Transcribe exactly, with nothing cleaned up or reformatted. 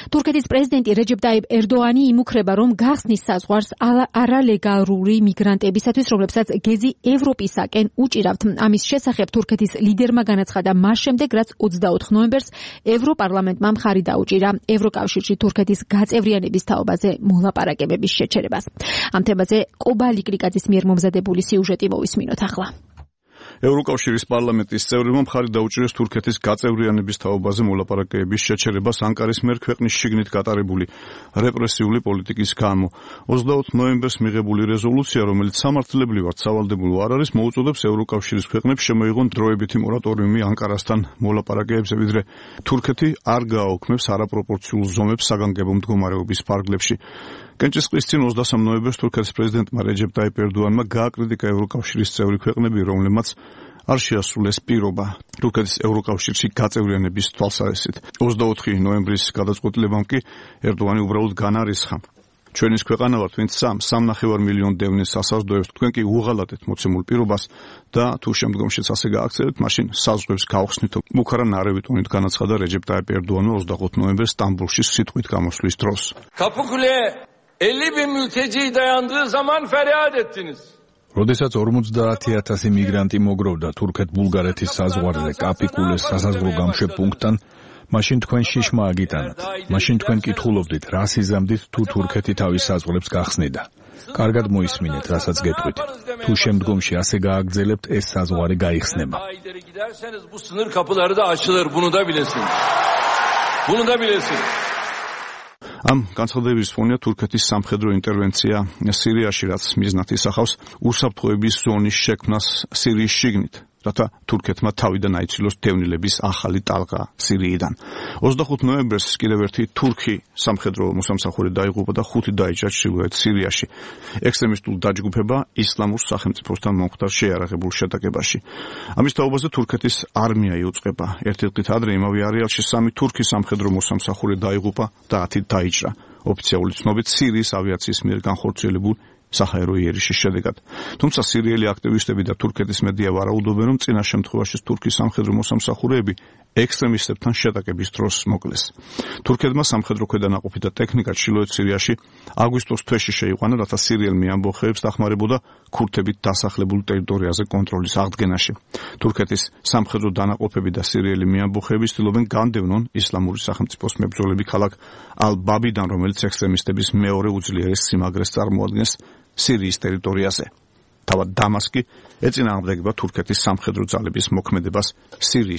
თურქეთის პრეზიდენტი რეჯეპ ტაიპ ერდოანი იმუქრება, რომ გახსნის საზღვარს არალეგალური მიგრანტებისათვის, რომლებსაც გეზი ევროპისაკენ უჭირავთ. ამის შესახებ თურქეთის ლიდერმა განაცხადა მას შემდეგ, რაც ოცდაოთხ ნოემბერს ევროპარლამენტმა მხარი დაუჭირა ევროკავშირში თურქეთის გაწევრიანების თაობაზე მოლაპარაკებების შეჩერებას. ამ თემაზე კობალი კრიკაძის მიერ მომზადებული სიუჟეტი მოვისმინოთ ახლა. ევროკავშირის პარლამენტის წევრებმა მხარი დაუჭირეს თურქეთის გაწევრიანების თაობაზე მოლაპარაკებების შეჩერებას ანკარის მიერ ქვეყნის შიგნით გატარებული რეპრესიული პოლიტიკის გამო. ოცდაოთხ ნოემბერს მიღებული რეზოლუცია, რომელიც სამართლებრივად სავალდებულო არ არის, მოუწოდებს ევროკავშირის ქვეყნებს შემოიღონ დროებითი მორატორიუმი ანკარასთან მოლაპარაკებებზე, ვიდრე თურქეთი არ გააუქმებს არაპროპორციულ ზომებს საგანგებო მდგომარეობის ფარგლებში. კენჭისყრის წინ ოცდასამ ნოემბერს თურქეთის პრეზიდენტმა რეჯეპ ტაიპ ერდოანმა გააკრიტიკა ევროკავშირის წევრი ქვეყნები, რომლებმაც არ შეასრულეს პირობა თურქეთის ევროკავშირში გაწევრიანების თვალსაზრისით. ოცდაოთხი ნოემბრის გადაწყვეტილებამ კი ერდოანი უბრალოდ განარისხა. ჩვენის ქვეყანა ვართ, ვინც სამ სამნახევარ მილიონ დევნის ასაზრდოებს, თქვენ კი უღალატეთ მოცემულ პირობას და თუ შემდგომშიც ასე გააქცევთ, მაშინ საზღვრებს გავხსნითო. მუქარა ნარევი ტონით განაცხადა რეჯეპ ტაიპ ერდოანმა ოცდაოთხ ნოემბერს სტამბულში სიტყვით გამოსვლის დროს. elli bin mülteci dayandığı zaman feryat ettiniz. როდესაც ორმოცდაათი ათასი მიგრანტი მოგროვდა თურქეთ-ბულგარეთის საზღვარზე კაპიკულეს სასაზღვრო გამშვებ პუნქტთან, მაშინ თქვენ შიშმა აგიტანათ. მაშინ თქვენ კითხულობდით, რა სიზამდით თუ თურქეთი თავის საზღვრებს გახსნიდა. კარგად მოისმინეთ, რასაც გეტყვით. თუ შემდგომში ასე გააგრძელებთ, ეს საზღვარი გაიხსნება. Bu sınır kapıları da açılır, bunu da bilesiniz. Bunu da bilesiniz. ამ განცხადების ფონია თურქეთის სამხედრო ინტერვენცია სირიაში, რაც მიზნად ისახავს უსაფრთხოების ზონის შექმნას სირიის შიგნით, რათა თურქეთმა თავიდან აიცილოს დევნილების ახალი ტალღა სირიიდან. ოცდახუთ ნოემბერს კიდევ ერთი თურქი სამხედრო მოსამსახური დაიღუპა და ხუთი დაიჭრა ჩრდილოეთ სირიაში. ექსტრემისტულ დაჯგუფება ისლამურ სახელმწიფოსთან მომხდარ შეიარაღებულ შეტაკებაში. ამის თაობაზე თურქეთის არმია იუწყება. ერთი დღით ადრე იმავე არეალში სამი თურქი სამხედრო მოსამსახური დაიღუპა და ათი დაიჭრა. ოფიციალური ცნობით სირიის ავიაციის მიერ განხორციელებულ საჰაერო იერიშის შედეგად. თუმცა სირიელი აქტივისტები და თურქეთის მედია ვარაუდობენ, რომ წინა შემთხვევაში თურქის სამხედრო მოსამსახურეები ექსტრემისტებთან შეტაკების დროს მოკლეს. თურქეთმა სამხედრო ქვედანაყოფი და ტექნიკა ჩრდილოეთ სირიაში აგვისტოს თვეში შეიყვანა, რათა სირიელმი ამბოხეებს დახმარებოდა ქურთებით დასახლებულ ტერიტორიაზე კონტროლის აღდგენაში. თურქეთის სამხედრო დანაყოფები და სირიელი მიამბოხეები ცდილობენ განდევნონ ისლამური სახელმწიფოს მებრძოლები ქალაქ ალ-ბაბიდან, რომელიც ექსტრემისტების მეორე უძლიერეს სიმაგრეს წარმოადგენს სირიის ტერიტორიაზე. თავად დამასკი ეწინააღმდეგება თურქეთის სამხედრო ძალების მოქმედებას სირიის